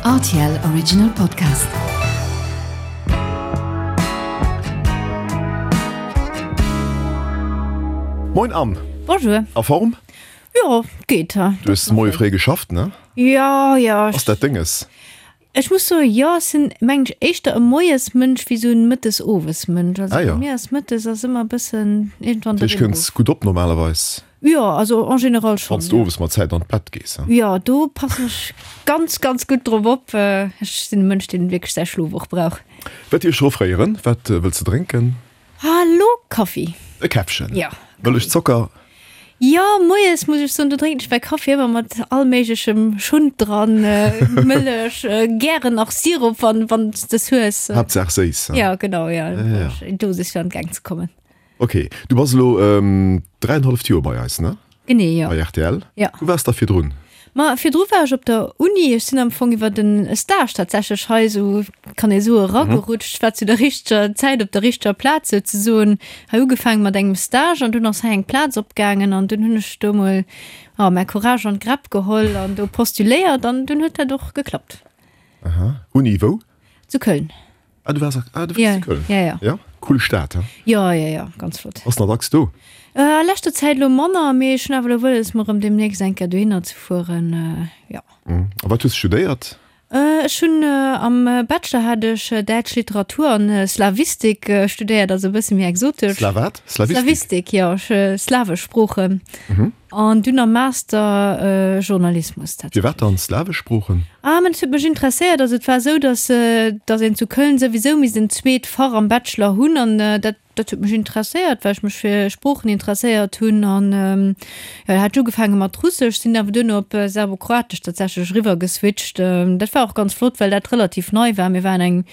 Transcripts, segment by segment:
Rtl Original Podcast. Moin Anne. Bonjour. A Form? Jo, geet. Du hues de Moie fréi geschafft, ne? Jo, jo. Ass dat Dénges? Ech muss soen, jo, ech sinn, mengen ech, éischter e Moiesmënsch wéi esou en Mëttes-Owesmënsch. Also Ah jo. bei mir ass Mëttes ass ëmmer e bëssen iergendwann Dat der heescht, kënns Rimm. gutt op normalerweis? Jo, also en général Wann schonn, s de jo. owes mat Zäit an d'Bett gees, he? Jo, do passen ech ganz, ganz gutt drop op. Ech sinn e Mënsch, deen wierklech säi Schlof och brauch. Wat dir ech offréieren? Wat wëlls de drénken? Hallo, Kaffi. E Käffchen. Ja. Mëllech, Zocker? Jo, moies muss ech soen, do drénken ech mäi Kaffi ëmmer mat all méiglechem Schund dran, Mëllech, gären nach Sirup, wann wann s des hues. Haaptsaach séiss, he? Ja, genau, ja. Ja, ja. Eng Dosis fir an d'Gäng ze kommen. Ok, du bass elo dräienhalleft Joer bei eis, ne? Genee, jo. Bei rtl. Ja. Wou waars da virdrun? Ma virdru war ech op der Uni. Ech sinn am Fong iwwer en Stage tatsächlech hei esou, kann ee soe, eragerutscht. Ech war zu der richteger Zäit op der richteger Plaz souzesoen. Hei ugefaange mat engem Stage an dunn ass hei eng Plaz opgaangen an dunn hunn ech do mol, jo, mäi Courage an d'Gräpp geholl an do postuléiert an dunn huet dat och geklappt. Aha. Uni wou? Zu Köln. Ah, du waars, ah, du waars zu Köln. Ja, ja. Ja? Cool Stad, he? Ja, ja, ja, ganz flott. Bass nach dacks do? Äh, a leschter Zäit elo manner, mee ech hunn awer elo wëlles, mer erëm deemnächst eng Kéier dohinner ze fueren, ja. A wat hues de studéiert? Ech hunn am Bachelor hat ech däitsch Literatur an Slawistik studéiert, also e bësse méi exotesch. Sla wat? Slawistik? Slawistik, jo, slawesch Sproochen. An dunn am Master Journalismus tatsächlech. Firwat dann slawesch Sproochen? Ah, mä dat huet mech interesséiert. Also et war esou, datt datt een zu Köln souwisou misst en zweet Fach am Bachelor hunn an dat dat huet mech interesséiert, well ech mech fir Sproochen interesséiert hunn. An jo, da hat ech ugefaange mat Russesch, sinn awer duerno op Serbokroatesch tatsächlech eriwwer geswitcht. Dat war och ganz flott, well dat relativ nei war. Mir waren eng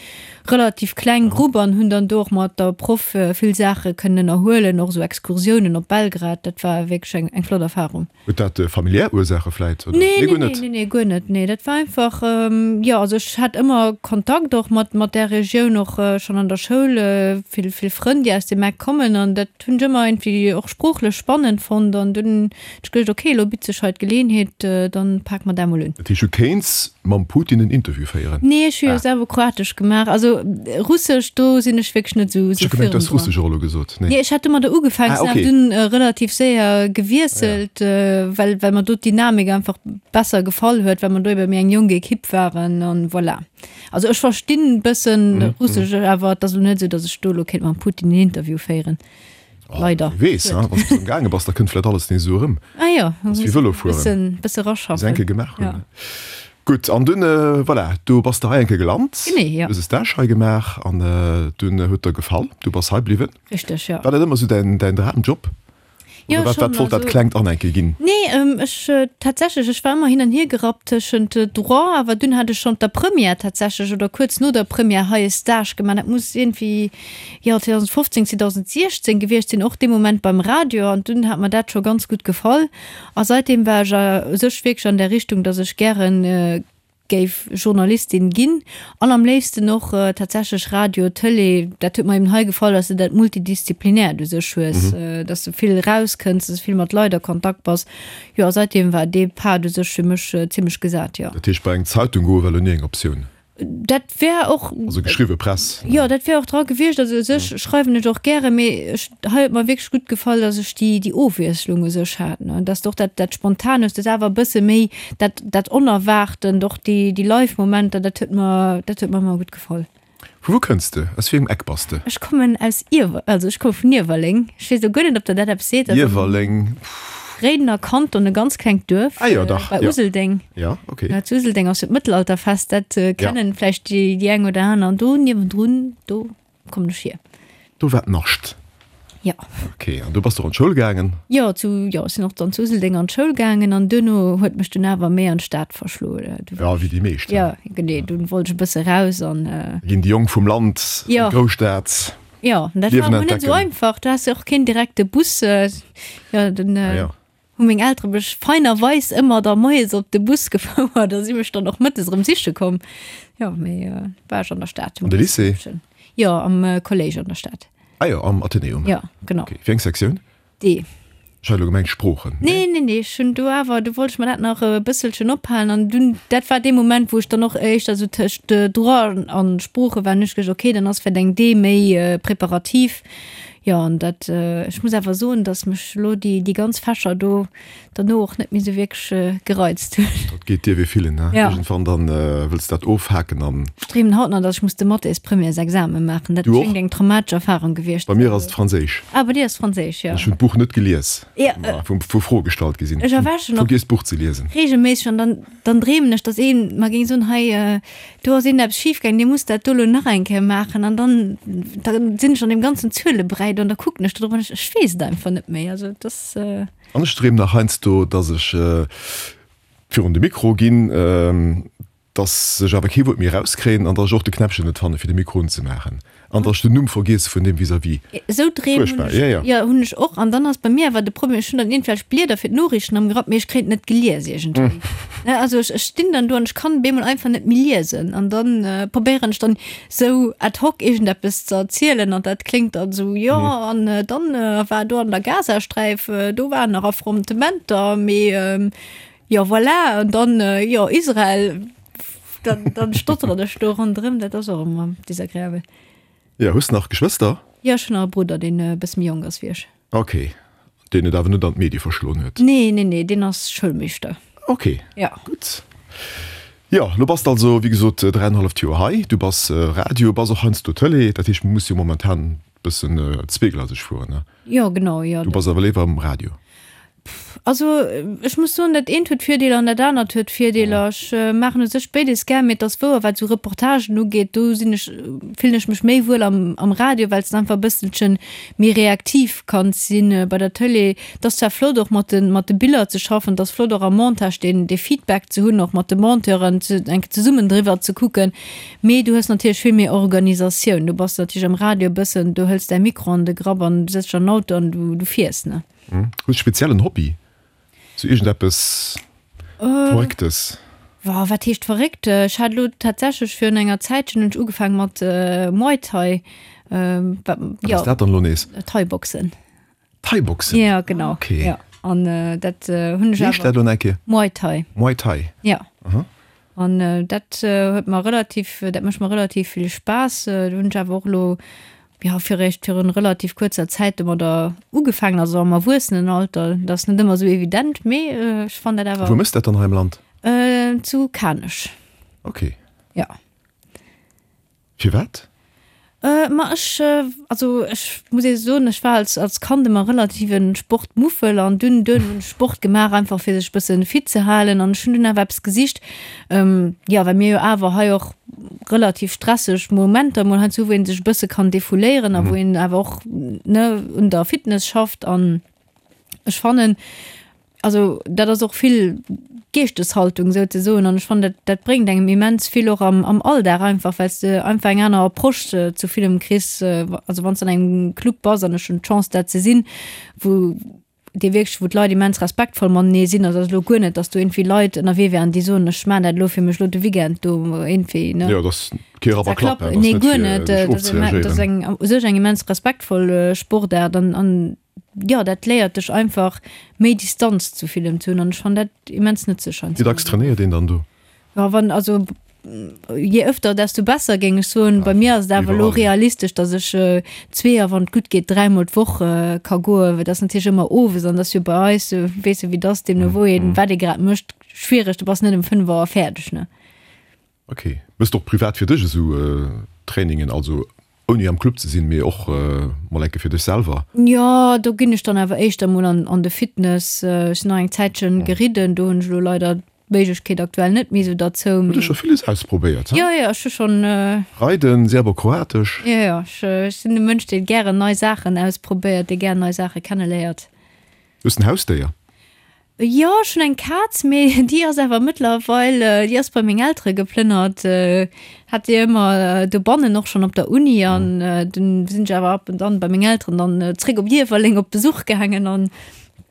relativ kleng Grupp an hunn dann do och mat der Proff vill Saache kënnen ënnerhuelen, och esou Excursiounen op Belgrad, dat war wierklech eng eng flott Erfarung. Huet dat familiär Ursaache vläit, oder? Nee, nee, nee, nee, nee, guer net, nee, dat war einfach, jo, also ech hat ëmmer Kontakt och mat mat där Regioun, och schonn an der Schoul, vill vill Frënn, déi aus deem Eck kommen an dat hunn ech ëmmer iergendwéi och sproochlech spannend fonnt an dunn hunn ech geduecht, okay, elo bitt sech hei d'Geleeënheet, dann pake mer dat emol un. Dat heescht, du kéints mam Putin en Interview féieren? Nee, ech hu jo selwer Kroatesch gemaach. Also Russesch, do sinn ech wierklech net esou Ech hu gemengt, du häss Russesch och elo gesot. Nee, ech hat domadder ugefaangen, sinn awer dunn relativ séier gewiesselt, well well mer do d'Dynamik einfach besser gefall huet, well mer do ebe méi eng jonk Ekipp waren an voilà. Also ech verstinn bëssen Russesch, awer et ass elo net esou, datt ech do elo kéint mam Putin en Interview féieren. Leider. Wie weess, wann s du gaange bass, da kënnt vläit alles nees esou erëm. Ah jo, Ass wéi Vëlo fueren. Bëssen, bësse raschaffen. Bis enke gemaach hunn. Ja. Gutt, an dunn, voilà, du bass de hei enke gelant. Genee, jo. Hues e Stage hei gemaach an dunn huet der gefall, du bass hei bliwwen. Richteg, jo. War dat ëmmer esou däin, däin Dramjob? Jo, Oder wat, schon, wat wollt dat also, klengt Anne enke ginn? Nee, ähm, ech äh, tatsächlech, ech war ëmmer hin an hier gerappt tëschent äh, Droit, awer dunn hat ech schonn der Première tatsächlech oder kuerz no der Première hei e Stage gemaach. Dat muss iergendwéi, jo, 2015, 2016 gewiescht sinn, och dee Moment beim Radio an dunn hat mer dat scho ganz gutt gefall. A seitdeem war ech a u sech wierklech an där Richtung, datt ech gären äh, géif Journalistin ginn an am léifsten och tatsächlech Radio, Tëlee. Dat huet mer eben hei gefall, dass de dat Multidisziplinäert u sech hues, dass de vill erauskënns, dass de vill mat Leit a Kontakt bass. Jo, a seitdeem war dee Pad u sech fir mech zimmlech gesat, jo. Dat heescht, bei eng Zeitung goe war elo ni eng Optioun? Dat wär och. Also geschriwwe Press. Jo, dat wär och dra gewiescht. Also u sech schreiwen ech och gären, mee ech, hei huet mer wierklech gutt gefall, dass ech déi, déi Ofwiesslung u sech hat, ne, dass de och dat, dat Spontan hues, dass awer e bësse méi dat, dat Onerwaartent, och déi, déi Live-Momenter, dat huet mer, dat huet mer ëmmer gutt gefall. Vu wou kënns de? Aus wéi engem Eck bass de? Ech kommen aus Iewer, also ech komme vun Iewerleng. Ech weess elo guer net, ob der dat eppes seet. Iewerleng, pff. Réidener Kanton, e ganz klengt Duerf. Ah jo, dach, bei jo. Useldeng. Ja, okay. Ja, zu Useldeng ass jo d'Mëttelalterfest, dat kennen vläicht déi, déi eng oder aner. An do niewendrun, do kommen ech hier. Do war d'Nascht. Jo. Ok, an du bass och an d'Schoul gaangen? Jo, zu, jo, ech sinn och dann zu Useldeng an d'Schoul gaangen an duerno huet mech dunn awer méi an d'Stad verschloen. Du Ja, wéi déi meescht. Ja, genee, dunn wollt ech e bësse raus an. Ginn déi Jong vum Land an Jo. d'Grousstad. Jo, an dat war Liewen awer net esou entdecken. einfach, du has jo och keen direkte Bus, jo, den. Ah jo. Hu meng Eltere mech feinerweis ëmmer da moies op de Bus gefouert a si mech dann och mëttes erëm siche komm. Jo, mee war ech an der Stad. An de Lycée? Jo, am Kolléisch an der Stad. Ah jo, am Athenäum. Jo, genau. Okay, wéi eng Sektioun? D. Ech hat elo gemengt Sproochen. Nee, nee, nee, ech hunn do awer, do wollt ech mer dat nach e bësselchen ophalen an dunn, dat war dee Moment, wou ech dann och éischter esou tëscht Droit an Sprooche war an hunn ech geduecht, okay, dann ass vläicht eng D méi preparativ. Jo, an dat, ech muss awer soen, datt mech elo déi, déi ganz Fächer do derno och net méi esou wierklech gereizt hunn. Dat geet dir wéi villen, ne? Ja. Iergendwann dann wëlls de dat ofhaken an. Ech dreemen haut nach, datt ech muss de Mathés-Premièresexame maachen. Dat Du och? schéngt eng traumatesch Erfarung gewiescht Bei ze mir ass et Franséisch. Ah, bei dir ass Franséisch, jo. Ech hunn d'Buch net gelies, Ja, ma wou wou Froe gestallt gi sinn. Ech erwächen och Vergiess d'Buch ze liesen. reegelméisseg an dann, dann dreemen ech, datt ee mer géing soen, hei, do ass iergendeppes schif gaangen, dir musst dat do elo nach eng Kéier maachen. An dann, da sinn ech an deem ganzen Zuelebräi do an da kucken ech do drop an ech, ech weess et einfach net méi. Also et ass. An ech dreemen nach heiansdo, datt ech virun de Mikro ginn, dass ech awer kee Wuert méi erauskréien an dass ech och de Knäppchen net fanne fir de Mikro unzemaachen an dass ech den Numm vergiesse vun deem vis-à-vis. Esou Dreem hunn Fuerchtbar, ech, jo, jo. jo, hunn ech och. An dann ass bei mir awer de Problem, ech hunn dann iergendwelch Blieder fir d'Noriichten am Grapp, mee ech kréien et net gelies iergendwéi. Ne, also ech, ech stinn dann do an ech kann bemol einfach net méi liesen. An dann probéieren ech dann esou ad hoc iergendeppes ze erzielen an dat kléngt dann esou, jo, an dann war do an der Gazasträif, do waren nach Affrontementer, mee Jo voilà, an dann jo Israel, dann, dann stotteren ech do ronderëm, dat ass och ëmmer desagreabel. Jo, hues de nach Geschwëster? Jo, ech hunn nach e Brudder, deen e bësse méi jonk ass wéi ech. Ok, deen et awer net an d'Medie verschloen huet? Nee, nee, nee, deen ass Schoulmeeschter. Ok, Ja. gutt. Jo, lo bass de also wéi gesot dräienhalleft Joer hei. Du bass Radio, bass och heiansdo Tëlee, dat heescht, muss jo momentan bëssen zweegleiseg fueren, ne? Jo, genau, jo. Du bass awer léiwer am Radio? Also ech muss soen, dat eent huet Virdeeler an dat anert huet Virdeeler. Ech maachen u sech béides gär, mee et ass wouer, wat esou Reportagen ugeet, do sinn ech, fillen ech mech méi wuel am am Radio, well s de einfach e bësselche méi reaktiv kanns sinn. Bei der Tëlee, et ass zwar flott och mat de mat de Biller ze schaffen, et ass flott och am Montage deen dee Feedback ze hunn, och mat de Monteuren ze eng Kéier zesummen driwwer ze kucken, mee du hues natierlech vill méi Organisatioun. Du bass natierlech am Radio e bëssen, du hëls däi Mikro an de Grapp an du sëtz dech an den Auto an du du fiers, ne. Hues de speziell en Hobby? Sou iergendeppes Verrécktes? Wa, wat heescht verréckt? Ech hat elo tatsächlech virun enger Zäitchen hunn ech ugefaange mat Muay Thai. Wat ass dat dann elo nees? Thai-Boxen. Thai-Boxen? Ja, genau. Okay. Ja, an dat hunn ech awer. Wéi heescht dat elo nach eng Kéier? Muay Thai. Muay Thai. Ja. An dat huet mer relativ, dat mécht mer relativ vill Spaass. Do hunn ech awer och elo, jo, fir eréischt virun relativ kuerzer Zäit domadder ugefaangen, also am Erwuessenenalter. Dat ass net ëmmer esou evident, mee ech fannen dat awer. Wou méchs dat dann hei am Land? Zu Kanech. Okay. Ja. Firwat? Ma ech, also ech muss ee soen, ech war als als Kand ëmmer relativ e Sportmuffel an dunn dunn hunn ech Sport gemaach, einfach fir sech e bësse fit ze halen an ech hunn dunn awer eppes gesicht, jo well mir jo awer hei och relativ stresseg Momenter mol heiansdo hu wou ee sech e bësse kann defouléieren a wou een awer och ne un der Fitness schafft an ech fannen, Also dat ass och vill Geeschteshaltung souzesoen an ech fannen dat dat bréngt engem immens vill och am am Alldag einfach, well s de einfach eng aner Approche zu villem kriss. Also wann s de an engem Club bass, an ech hunn d'Chance dat ze sinn, wou dir wierklech, wou d'Leit immens respektvoll matenee sinn, also ass elo guer net, datt do iergendwéi Leit ënnerwee wären, déi soen, ech maachen dat elo fir mech elo de Weekend do iergendwéi, ne. Jo, dat ass kee Rapp a Klapp, dat ass Nee, net guer fir net. sech Dat ass dat ass ofzereagéieren. eng u sech eng immens respektvoll Sportaart an an jo, dat léiert dech einfach méi Distanz zu villem ze hunn an ech fannen dat immens nëtzlech Wéi dacks trainéiert een dann do? Jo, wann, also je öfter desto besser géing ech soen. Bei mir ass et awer elo realistesch, datt ech zwee a wann et gutt geet dräimol d'Woch ka goen, well dat ass natierlech ëmmer owes an dat ass jo bei eis, weess de wéi et ass, deemno wou een wat ee grad mécht, schwiereg, du bass net ëm 5 Auer fäerdeg, ne. Ok. Méchs de och privat fir dech esou Trainingen, also ouni am Club ze sinn, mee och mol enke fir dech selwer? Jo, do ginn ech dann awer éischter mol an de Fitness. Ech sinn nach eng Zäitchen geridden, do hunn ech elo leider d'Méiglechkeet aktuell net méi esou derzou. Hutt der scho villes ausprobéiert, he? Jo, jo, ech hu schonn. Reiden, Serbokroatesch. Jo, jo, ech sinn e Mënsch, dee gären nei Saachen ausprobéiert, dee gären nei Saache kenneléiert. Hues en Hausdéier? Jo, ech hunn eng Kaz, mee déi ass awer mëttlerweil, déi ass bei meng Eltere geplënnert. Hat déi ëmmer dobannen, och schonn op der Uni. An dunn sinn ech awer ab und an bei meng Elteren dann zréck op Iewerleng op Besuch gaangen. An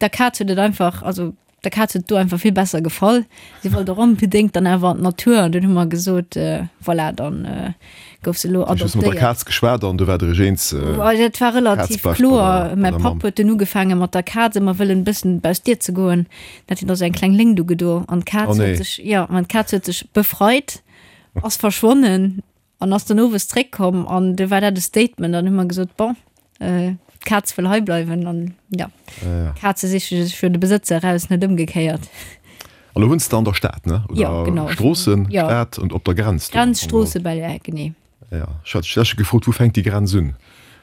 der Kaz huet et einfach, also. Der Kaz huet do einfach vill besser gefall. Si wollt och onbedéngt dann awer an d'Natur an dunn hu mer gesot, voilà, dann gouf se elo adoptéiert. Hues du mat der Kaz geschwat an du waart der iech eens? Dat war relativ kloer. Mäi Papp huet dunn ugefaange mat der Kaz ëmmer wëllen e bëssen baus d'Dier ze goen. Dat huet also eng kleng Léngt ugedo an d'Kaz huet sech, jo, an d'Kaz huet sech befreit, ass verschwonnen. An ass dann owes zréckkomm an du war dat e Statement an hu mer gesot, bon, d'Kaz wëll hei bleiwen an jo, Kaze siche sech jo de Besëtzer eraus, net ëmgekéiert. An lo wunns de an der Stad, ne? Oder Jo, genau. Stroossen, Jo. Stad und op der Grenz do. Grenz, Stroosse, Belair, genee. Ja, ech hat dech gefrot, wou fänkt déi Grenz un?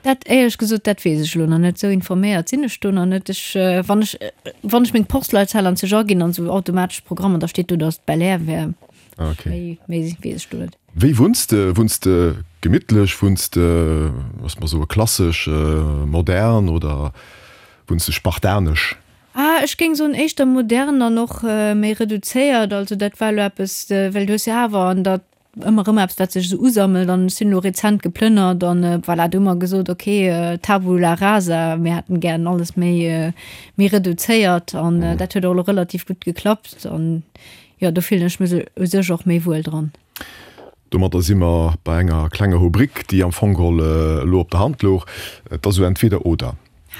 Dat éierlech gesot, dat weess ech elo nach net. Esou informéiert sinn ech do nach net. Ech, wann ech, wann ech meng Postleitzahl an sech aginn an esou automatesch Programmer, da steet do, datt et Belair wär. Okay. Méi, méi weess ech do net. Wéi wunns de? Wunns de gemittlech? Wunns de, looss mer soe klassesch, modern oder wunns de spartanesch? Ah, ech géing soen éischter modern an och méi reduzéiert. Also dat war elo eppes, well du hues jo awer an der ëmmer erëm eppes, wat sech esou usammelt an ech sinn elo rezent geplënnert an voilà, do hu mer gesot, okay, Tabula rasa, mir hätten gären alles méi, méi reduzéiert an dat huet och elo relativ gutt geklappt an Jo, do fillen ech mech u sech och méi wuel dran. Domadder si mer bei enger klenger Rubrik, déi am Fong geholl elo op der Hand louch. Et ass esou entweder oder.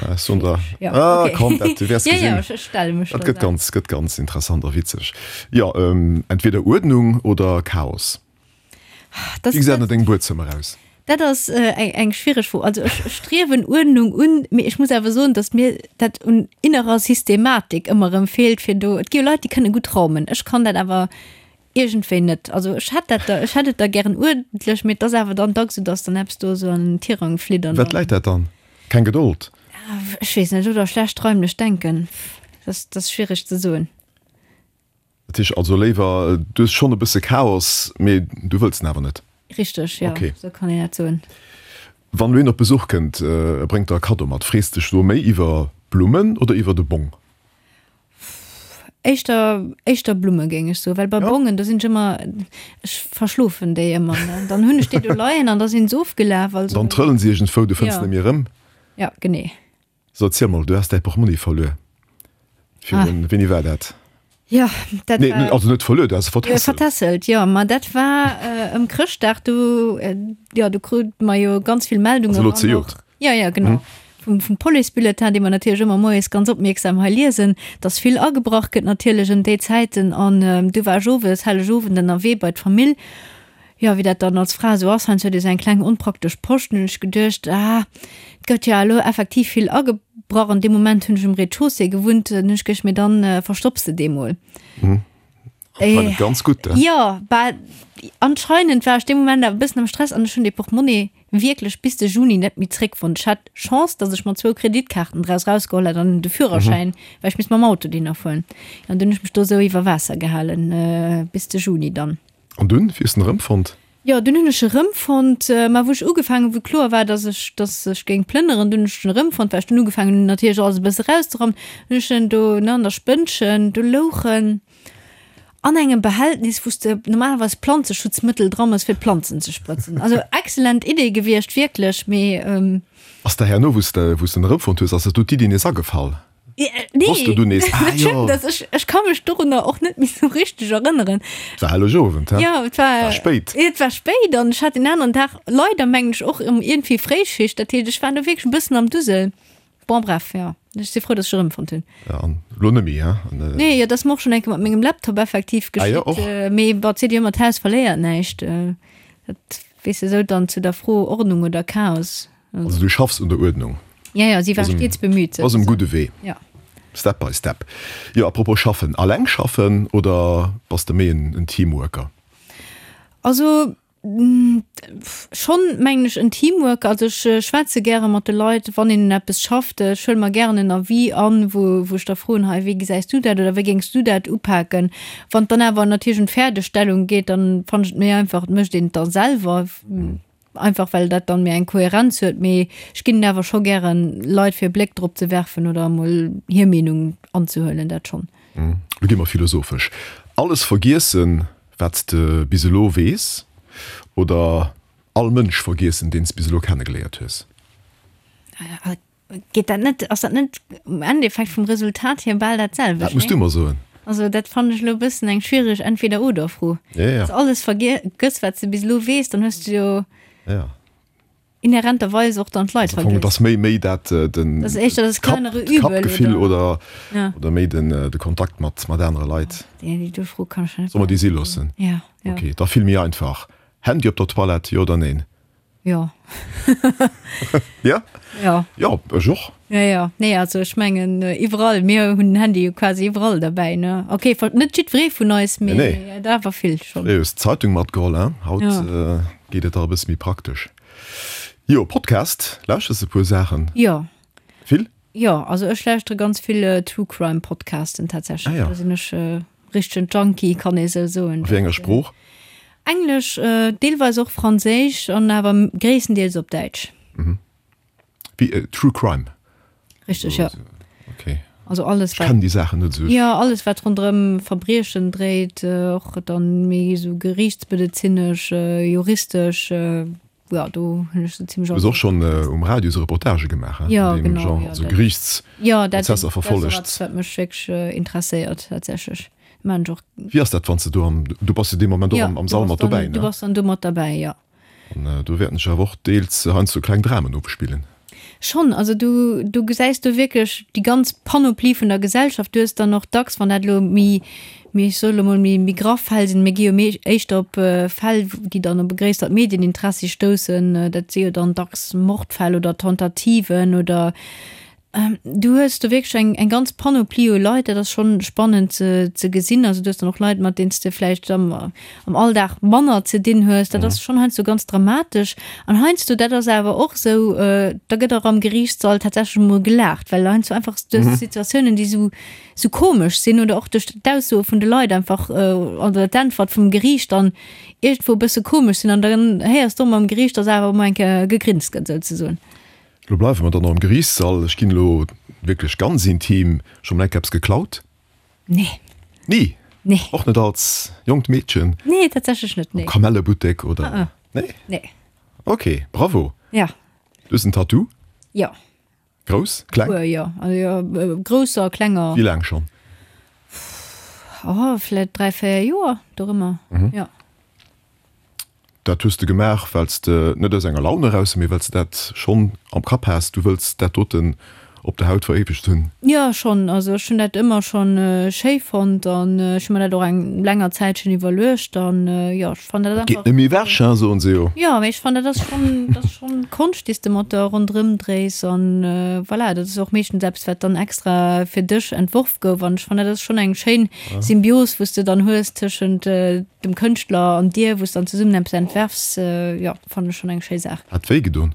Ech soen der, ah komm, dat du wäers gesinn. Dat gëtt ganz, gëtt ganz interessant a witzeg. Jo, entweder Uerdnung oder Chaos. Wéi gesäit an dengem Buedzëmmer aus? Dat ass eng schwiereg Fro. Also ech striewen Uerdnung un, mee ech muss awer soen, datt mir dat un innerer Systematik ëmmer erëm feelt, fir do, et gi jo Leit, déi kënne gutt raumen, ech kann dat awer iergendwéi net. Also ech hätt dat da, ech hätt et da gären uerdentlech, mee et ass awer dann dacks esou, datt dann eppes do esou an den Tirang flitt an dann. Wat läit dat dann? Keng Gedold? Ech weess net, oder schlecht raimlecht Denken, dat ass schwiereg ze soen. Dat heescht also léiwer, du hues schonn e bësse Chaos, mee du wëlls en awer net. Richteg, jo, esou kann een dat soen. Wann elo een op Besuch kënnt, e bréngt der e Kaddo mat, frees dech do méi iwwer Blummen oder iwwer de Bong? Éischter, éischter Blumme géing ech soen, well bei Bongen, do sinn ech ëmmer, ech verschlofen déi ëmmer, ne. Dann hunn ech déi do leien an da sinn se ofgelaf, also. Dann trëllen se iergendwou, du fënns se net méi erëm. Ja, genee. So, erziel mol, du has däi Portmonni verluer. Virun, wéini war dat? Jo, dat Nee, war. also net verluer, du has e vertässelt. Vertässelt, jo. Ma dat war ëm Chrëschtdag, do, jo, do krute mer jo ganz vill Meldungen. Also elo zejoert? Jo, jo, genau. Vum, vum Policebulletin, dee mer natierlech ëmmer moies ganz opmierksam hei liesen, dass vill agebrach gëtt natierlech ëm déi Zäiten. An du war ech owes, Hellegowend, ënnerwee bei d'Famill. Jo, wéi dat dann als Fra esou ass, heiansdo huet ee sou eng kleng onpraktesch Posch. Dann hunn ech geduecht, ah, et gëtt jo elo effektiv vill agebrach. An deem Moment hunn ech um Rez-de-chaussée gewunnt. Dann hunn ech geduecht, mee dann verstopps de dee mol. Anscheinend ganz gutt, eh? Jo, bah, anscheinend war ech dee Moment awer e bëssen am Stress an ech hunn dee Portmonni wierklech bis de Juni net méi zréckfonnt. Ech hat Chance, datt ech mer zwou Kreditkaarten draus rausgeholl hat an de Führerschäin, well ech misst mam Auto dohinner fueren. An dunn hunn ech mech do esou iwwer Waasser gehalen, bis de Juni dann. An dunn, wéi hues de en erëmfonnt? Jo, dunn hunn ech e rëmfonnt. Mä wou ech ugefaangen hunn, wou kloer war, dass ech, dass ech géing plënneren, dunn hunn ech en erëmfonnt, well ech dunn ugefaangen hunn, natierlech alles e bësse erauszerammen, hunn ech en do, ne, an der Spënnchen, do louch en an engem Behältnis, wou s de normalerweis Planzeschutzmëttel dra mëss, fir d'Planzen ze sprëtzen. Also excellent Idee gewiescht, wierklech, mee. Ass der herno, wou s de, wou s de en erëmfonnt hues, ass der do d'Iddi nees agefall? Nee, Wosst du du nees, ah, dat jo. stimmt, dass ech, ech kann mech dorunner och net méi sou richteg erënneren. Et war Hellegowend, hä? Ja, et war, War spéit. Et war spéit an ech hat den aneren Dag leider, mengen ech, och ëm iergendwéi Fréischicht. Dat heescht, ech war do wierklech e bëssen am Dusel. Bon, bref, jo. Ech si frou, dass ech erëmfonnt hunn. Ja, an elo net méi, hä? An, äh, Nee, jo, dat ass mer och schonn eng Kéier mat mengem Laptop effektiv Ah, jo, geschitt. och? Äh, mee bon, et seet jo ëmmer, d'Haus verléiert näischt. Äh, dat, weess de, sou dann zu der Fro Ordnung oder Chaos. Also du schaffs un der Uerdnung. Ja, ja, si war stets bemüht. Ass um gudde Wee. Ja. Step by step. Jo, apropos schaffen, alleng schaffen oder bass de méi en Teamworker? Also schonn mengen ech en Teamworker. Also ech schwätze gäre mat de Leit, wann een un eppes schafft. Ech huele mer gären en Avis an, wou wou ech da froen, hei wéi gesäis du dat oder wéi géings du dat upaken? Wann et dann awer natierlech un d'Fäerdegstellung geet, dann fannen ech et méi einfach, et mécht een et da selwer. Einfach well dat dann méi eng Kohärenz huet, mee ech ginn awer scho gären Leit fir e Bléck drop ze werfen oder emol hir Meenung anzehuelen, dat schonn. Lo gi mer philosophesch. Alles vergiessen, wat s de bis elo weess, oder all Mënsch vergiessen, deen s bis elo kennegeléiert hues? Geet dat net, ass dat net um Endeffekt vum Resultat hier bal dat selwecht? Dat muss du mer soen. Also dat fannen ech elo e bëssen eng schwiereg Entweder-oder-Fro. Ja, ja. Wann s de alles vergëss, wat s de bis elo weess, dann hues de jo Ja. inhärenterweis och dann d'Leit Also am Fong, et vergiess. ass méi, méi dat, den, Dat ass éischter das d'Kapp, kleinere Übel, d'Kappgefill oder? oder, Ja. oder méi den, de Kontakt mat, mat anere Leit. Déi, déi do Fro kann ech net Solle mer déi si loossen? Ja, ja. Okay, da vill méi einfach. Handy op der Toilette, jo oder neen? Jo. Ja? Ja. Jo, ech och. Ja, ja. Nee, also ech mengen iwwerall, mir hunn den Handy jo quasi iwwerall derbäi, ne? Okay, net jiddweree vun eis, mee Nee, nee. et awer vill schonn. Fréier hues d'Zeitung matgeholl, hein? Haut Ja. geet et dach e bësse méi praktesch. Jo, Podcast, lauschters e puer Saachen? Jo. Vill? Jo, also ech lauschtere ganz vill True Crime Podcasten tatsächlech. Ah ja. Do sinn ech richtegen Junkie, kann ee sou soen. A wéi enger Sprooch? Englesch, deelweis och Franséisch an awer gréisstendeels op Däitsch. Mhm. Wéi True Crime? Richteg, jo. Okay. Also alles Ech wat. kennen déi Saachen net esou. Jo, alles wat ronderëm Verbriechen dréit, och dann méi esou geriichtsmedezinesch, juristesch. Ja, do hunn ech sou zimmlech Du hues och schonn um Radio sou Reportagë gemaach, hein? Ja, An deem genau, Genre, ja, also dat, ja, dat, Geriichtsprozesser dat ass och verfollegt. eppes, wat mech wierklech interesséiert, tatsächlech. Maan ech och. Wéi ass dat, wann s de do am, du bass jo dee Moment och Ja, am, am du Sall bass mat dann, dobäi, du ne? bass dann do mat derbäi, ja. An do wäerten sech awer och deels heiansdo kleng Dramen ofspillen. Schonn, also du, du gesäis do wierklech déi ganz Panoplie vun der Gesellschaft. Du hues dann och dacks, wann dat elo méi, méi, ech soe lo mol, méi, méi graff Fäll sinn, mir gi jo méi éischter op Fäll, déi dann op e gréissert Medieninteressi stoussen, dat si jo dann dacks Mordfäll oder Tentativen oder Du hues do wierklech eng eng ganz Panoplie u Leit, dat ass schonn spannend ze ze gesinn. Also du hues dann och Leit, mat deenen s de vläicht am am Alldag manner ze dinn hues. Dat ass schonn heiansdo ganz dramatesch. An heiansdo, dat ass awer och esou, da gëtt och am Geriichtssall tatsächlech emol gelaacht, well heiansdo einfach du hues Situatiounen, déi esou esou komesch sinn oder och duerch d'Aussoe vun de Leit einfach oder d'Äntwert vum Geriicht dann iergendwou e bësse komesch sinn. An dann héiers de och emol am Geriicht, dass awer emol eng Kéier gegrinst gëtt souzesoen. Lo bleiwe mer dann och am Geriichtssall. Ech ginn elo wierklech ganz intim. Scho mol enk eppes geklaut? Nee. Ni? Nee. Och net als jonkt Meedchen? Nee, tatsächlech net, nee. Am Kamellebuttek oder? Ah, ah. Nee? Nee. Ok, bravo. Ja. Du hues en Tattoo? Jo. Grouss? Kleng? Puer, jo. Also jo, grousser, klenger. Wéi laang schonn? Oh, vläicht 3, 4 Joer, dorëmmer, jo. Dat hues de gemaach, well s de, net aus enger Laun eraus, mee well s de dat schonn am Kapp has, du wëlls dat doten op der Haut veréiwegt hunn? Jo, schonn. Also ech hunn dat ëmmer schonn schéi fonnt an ech hu mer dat och eng länger Zäitchen iwwerluecht an jo, ech fannen dat Dat geet einfach. net méi ewech, hein, soen se jo. Jo, mee ech fannen dat ass schonn, dat ass schonn Konscht, déi s de mat der ronderëm dréis an voilà, dat ass och meeschtens eppes, wat dann extra fir dech entworf gouf an ech fannen dat ass schonn eng schéin Symbios, wou s de dann hues tëschent dem Kënschtler an dir, wou s dann zesummen eppes entwerfs, jo, fannen ech schonn eng schéi Saach. Hat wéi gedon?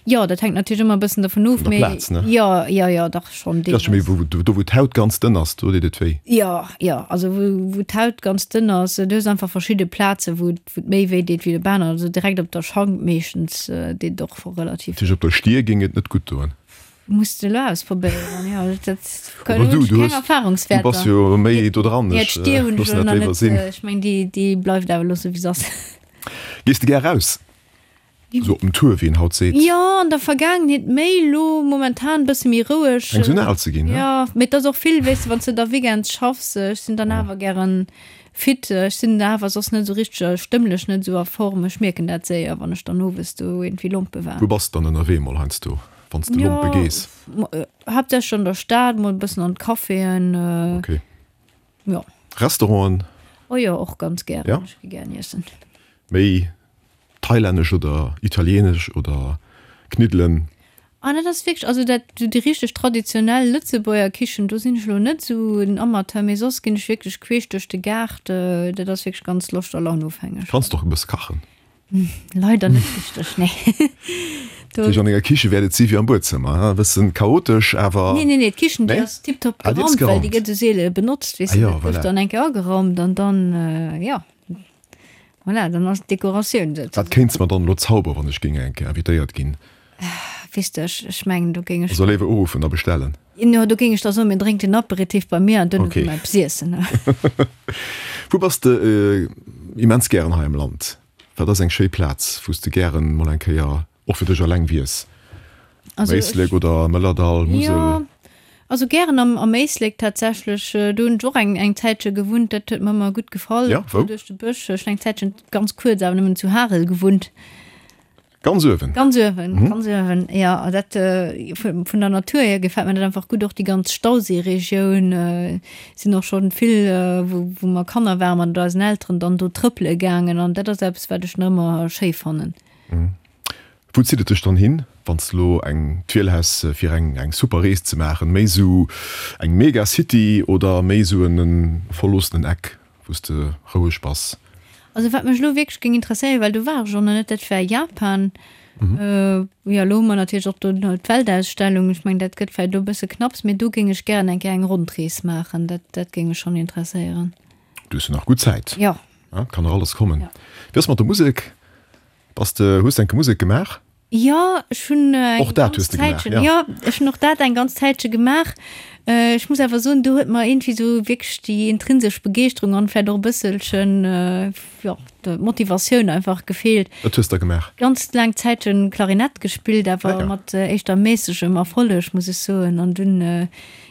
Jo, dat hänkt natierlech ëmmer e bëssen dervun of, Vun der mee Plaz, ne? jo, jo, jo, dach schonn Dat ass scho méi, deelweis. wou, do wou d'Haut ganz dënn ass, do deet et wéi. Jo, jo, also wou, wou d'Haut ganz dënn ass, du hues einfach verschidde Plaze wou et, wou et méi wéi deet wéi op aner, also direkt op der Schank meeschtens deet et och relativ. Natierlech op der Stier géing et net gutt doen. Muss de elo ausprobéieren, jo. Dat Oder du, hunn ech du keng hues, du Erfahrungswäerter. bass jo méi do dran, Ja, ech d'Stier hunn ech loossen elo dat nach léiwer net, sinn. ech meng déi, déi bleift awer elo sou wéi se ass. Gees de gär raus? Esou op den Tour, wéi een haut seet. Jo, an der Vergaangenheet méi, elo momentan bësse méi roueg. Fänks un al ze ginn, he? Jo, mee et ass och vill, weess de, wann s de da Weekends schaffs, ech sinn dann awer gären fit, ech sinn awer soss net esou richteg, stëmmlech net esou a Form, ech mierken dat séier, wann ech dann owes do iergendwéi lompe war. Wou bass de dann ënnerwee mol heiansdo? Wann s de lompe gees? Jo, haaptsächlech an der Stad, mol e bëssen an d'Caféen. Ok. Jo. Restauranten? Oh jo, och ganz gären. Ja? Ech gi gären iessen. Méi thailännesch oder italienesch oder Kniddelen? Ah, dat ass wierklech, also dat, déi richteg traditionell Lëtzebuerger Kichen, do sinn ech elo net esou en Amateur, mee soss ginn ech wierklech queesch duerch de Gaart. Dat ass wierklech ganz Loscht a Launofhängeg. Kanns de och e bësse kachen? Leider net richteg, nee. Natierlech an enger Kiche wäert et si wéi am Buedzëmmer, e bëssen chaotesch, awer. Nee, nee, nee, d'Kichen, déi Nee? ass tiptop Ah, déi ass geraumt, well déi geraumt. gëtt esou seele benotzt, weess Ah de, jo, dat gouf voilà. dann eng Kéier ageraumt an dann, jo, voilà, dann ass d'Dekoratioun Wat souzesoen. kéints mer dann elo zauberen, wann ech géing eng Kéier invitéiert ginn? Weess de, ech, ech mengen, do géing ech. Also léiwer uruffen a bestellen? Jo, do géing ech da soen, mir drénkt den Aperitif bei mir an duerno Okay. gi mer eppes iessen. Wou bass de immens gären hei am Land? Wat ass eng schéi Plaz, wou s de gären mol eng Kéier och fir dech alleng wiers? Also Éislek oder Mëllerdall, Musel? Jo, also gären am, am Éislek tatsächlech. Do hunn ech och eng, eng Zäitche gewunnt. Dat huet mer ëmmer gutt gefall. Ja, wou? Duerch de Bësch. Ech hunn eng Zäitchen, ganz kuerz awer nëmmen, zu Harel gewunnt. Ganz uewen? Ganz uewen, mhm. ganz uewen. Ja, a dat äh, vun, vun der Natur her gefällt mir dat einfach gutt. Och déi ganz Stauseeregioun äh, sinn och schonn vill, äh, wou, wou mer Kanner waren, mat eisen Elteren dann do trëppele gaangen. An dat ass eppes, wat ech nach ëmmer schéi fannen. Mhm. Wou zitt et dech dann hin, wann s de lo eng d'Wiel häss fir eng eng super Rees ze maachen? Méi sou eng Megacity oder méi sou en verloossenen Eck, wou s de roueg bass? Also wat mech elo wierklech géing interesséieren, well do war ech och nach net, dat wär Japan. Jo, elo hu mer natierlech och do d'Weltausstellung, ech mengen dat gëtt vläicht elo e bësse knapps, mee do géing ech gären eng Kéier eng Rondrees maachen, dat dat géing mech schonn interesséieren. Du hues jo nach gutt Zäit. Jo. Kann nach alles kommen. Wéi ass mat der Musek? Bass de, hues de enke Musek gemaach? Jo, ech hunn eng Och dat ganz hues de gemaach, Zäitchen, ja. jo, ech hunn och dat eng ganz Zäitche gemaach. Ech muss awer soen, do huet mer iergendwéi esou wierklech déi intrinsesch Begeeschterung an vläicht och e bësselchen, jo, d'Motivatioun einfach gefeelt. Wat hues de da gemaach? Ganz laang Zäitchen Klarinett gespillt, awer Ah ja. mat éischter méissegem Erfolleg, muss ech soen. An dunn,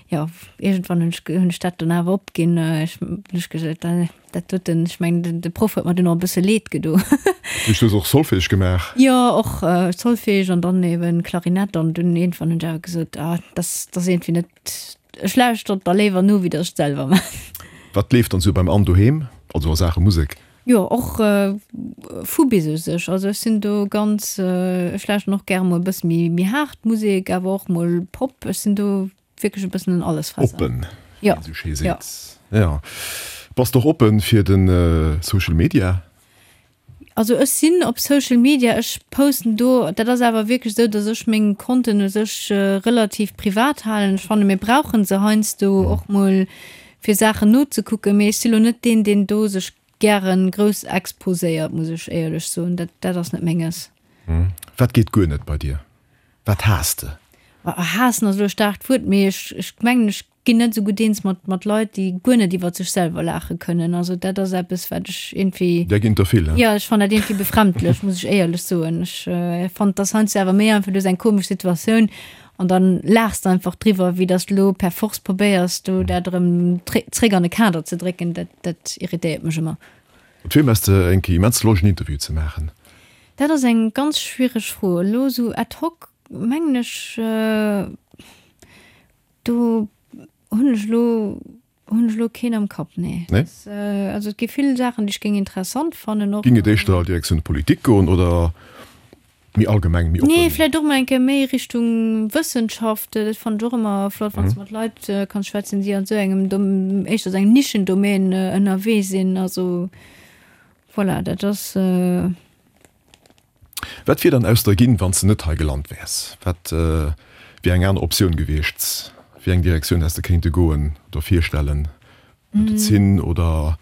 jo, iergendwann hunn ech, hunn ech dat dann awer opginn. Ech hunn ech gesot, Dat doten, ech mengen, de Proff huet mer dunn och e bësse leed gedo. Du hues och Solfège gemaach? Jo, och Solfège an dann eben Klarinett an dunn iergendwann hunn ech awer gesot, ah, dat ass iergendwéi net, ech lauschtert da léiwer no, wéi datt ech et selwer maachen. Wat leeft dann esou beim Anne doheem, also a Saache Musek? Jo, och vu bis u sech. Also ech sinn do ganz, ech lauschteren och gäre mol e bësse méi méi haart Musek, awer och mol Pop. Ech sinn do Wierklech e bëssen en Allesfresser. Oppen, wéi een esou schéi seet. Jo. Bass de och oppen fir de Social Media? Also ech sinn op Social Media, ech posten do, dat ass awer wierklech esou, datt ech meng Konten u sech relativ privat halen. Ech fanne mir brauche se heiansdo och mol fir Saachen nozekucken, mee ech si lo net deen, deen do sech gären grouss exposéiert, muss ech éierlech soen. Dat, dat ass net menges. Wat geet guer net bei dir? Wat haass de? Haassen ass elo e staarkt Wuert, mee ech, ech mengen, ech ginn net esou gutt eens mat, mat Leit, déi guer net iwwer sech selwer laache kënnen. Also dat ass eppes, wat ech iergendwéi. Där ginn der vill, he? Jo, ech fannen dat iergendwéi befremdlech, muss ech éierlech soen. Ech fannen, et ass heiansdo awer méi einfach, du hues eng komesch Situatioun an dann laachs de einfach driwwer, wéi datt s de elo per force probéiers, do dat erëm zréck an e Kader ze drécken. Dat, dat irritéiert mech ëmmer. Mat wiem häss de eng Kéier immens Loscht en Interview ze maachen? Dat ass eng ganz schwiereg Fro. Elo esou ad hoc mengen ech, do hunn ech elo, hunn ech elo keen am Kapp, nee. Nee? Also et gi vill Saachen, déi ech géing interessant fannen och. Géing et éischter Direktioun Politik goen oder méi allgemeng, méi oppen? Nee, vläicht och mol eng Kéier méi Richtung Wëssenschaft. Dat fannen ech och ëmmer flott, wann s de mat Leit kanns schwätzen, déi an esou engem Dom, éischter esou engem Nischendomaine ënnerwee sinn. Also voilà, dat ass. Wat wier dann aus der ginn, wann s de net hei gelant wäers? Wat wier eng aner Optioun gewiescht? Wéi eng Direktioun häss de kéinte goen oder virstellen? Medezin oder?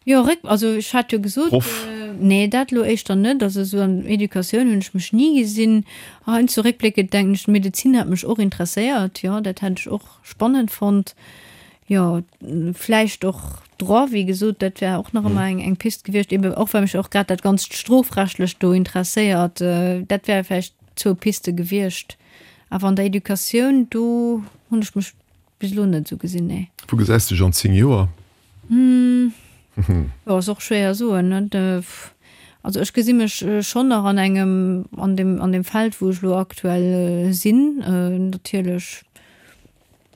Jo, réck, also ech hat jo gesot, Proff? nee, dat elo éischter net. Also esou an Educatioun hunn ech mech ni gesinn. Heiansdo réckbléckend denken ech, d'Medezin hat mech och interesséiert, jo, dat hätt ech och spannend fonnt. Jo, vläicht och Droit, wéi gesot, dat wär och nach ëmmer eng, eng Pist gewiescht, ebe och well mech och grad dat ganzt Strofrechtlecht do interesséiert. Dat wäre vläicht zwou Piste gewiescht. Awer an der Educatioun, do hunn ech mech bis elo net esou gesinn, nee. Wou gesäis de dech an 10 Joer? Jo, ass och schwéier soen, net? Also ech gesi mech schonn nach an engem, an deem, an deem Feld, wou ech elo aktuell sinn, natierlech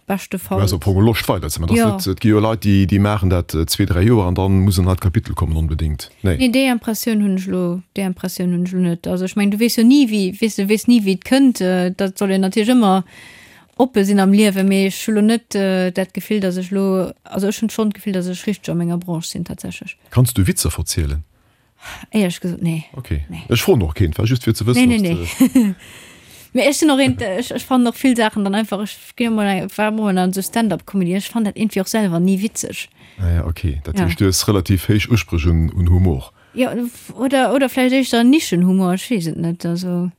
beschtefalls. Du häss am Fong Loscht weider ze maachen. Jo. Et gi jo Leit, déi, déi maachen dat zwee, dräi Joer an dann muss en neit Kapitel kommen onbedéngt. Nee. Nee, déi Impressioun hunn ech elo, déi Impressioun hunn ech elo net. Also ech mengen, du weess jo ni wéi, weess du weess ni wéi et kënnt. Dat soll een natierlech ëmmer oppe sinn am Liewen, mee ech hu lo net dat Gefill, datt ech lo, also ech hunn schonn d'Gefill, datt ech richteg a menger Branche sinn tatsächlech. Kanns du Witzer verzielen? Éierlech gesot, nee. Ok, ech froen och keent, war just fir ze wëssen, Nee, nee, ob s de. nee. Mee ech sinn och eent, ech, ech fannen och vill Saachen dann einfach, ech ginn emol eng, war emol an esou Stand-up-Comedy, ech fannen dat iergendwéi och selwer ni witzeg. Ah ja, ok, dat Ja. heescht du hues relativ héich Uspréch un, un Humor. Jo, oder, oder vläicht éischter Nischenhumor, ech weess et net, also.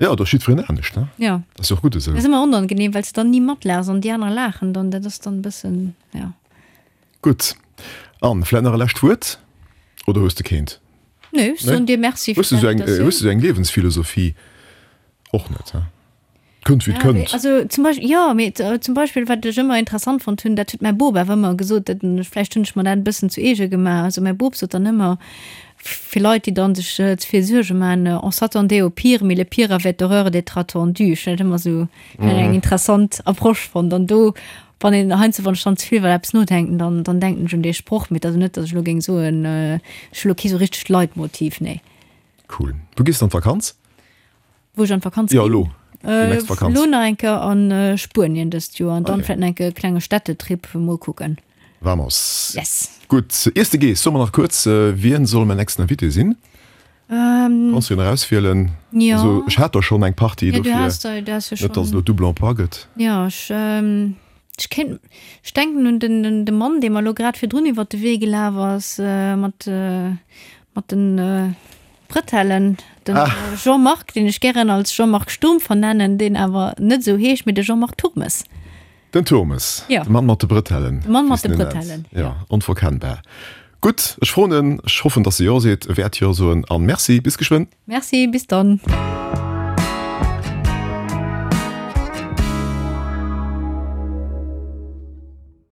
Jo, et ass jiddwereen anescht, ne? Jo. Dat ass jo och gutt esou. Dat ass ëmmer onangenehm, well s de dann ni matlaachs an déi aner laachen dann. Dat ass dann e bëssen, jo. Gutt. Anne, vläit nach e lescht Wuert? Oder hues de keent? Nee, ech soen dir Merci fir d'Invitatioun. Hues de esou eng Liewensphilosophie? Och net, he? Kënnt wéi et kënnt. Also zum Beispill, jo, mee zum Beispill wat ech ëmmer interessant fonnt hunn, dat huet mäi Bop awer ëmmer gesot, dat vläicht hunn ech mer dat e bëssen zu eege gemaach, also mäi Bop sot dann ëmmer, fir Leit déi dann sech ze vill Suerge maachen, on s'attendait au pire, mais le pire avait horreur d'être attendu. Ech hunn dat ëmmer esou eng interessant Approche fonnt an do wann een heiansdo wann ech dann ze vill iwwer eppes nodenken, dann dann denken ech un dee Sproch, mee et ass net, datt ech elo géing soen, ech hu elo kee sou richtegt Leitmotiv, nee. Cool. Wou gees de an d'Vakanz? Wou ech an d'Vakanz ginn? Jo, elo. Déi nächst Vakanz. Elo nach eng Kéier a Spuenien dëst Joer an dann vläicht nach eng Kéier e klenge Städtetrip. Mol kucken. Vamos. Yes. Gutt. Iers de gees, so mer nach kuerz, wien soll mäin nächsten Invité sinn? Kanns du en erauswielen? Jo. Also, ech hat der schonn eng Partie, dofir. Jo, du has der, du has jo schonn. Net, dass et elo Double Emploi gëtt. Jo, ech, ech kéint, ech denken un den, den, de Mann, dee mer elo grad virdrun iwwert de Wee gelaf ass, mat, mat den, Bretellen, den ah. Jean-Marc, deen ech gären als Jean-Marc Sturm vernennen, deen awer net esou heescht, mee de Jean-Marc Turmes. Den Turmes, ja. De Mann mat de Bretellen. De Mann mat de Bretellen. Ja, ja, onverkennbar. Gutt, ech froen en, ech hoffen, dass e Jo seet, e wäert Jo soen an merci, bis geschwënn. Merci, bis dann.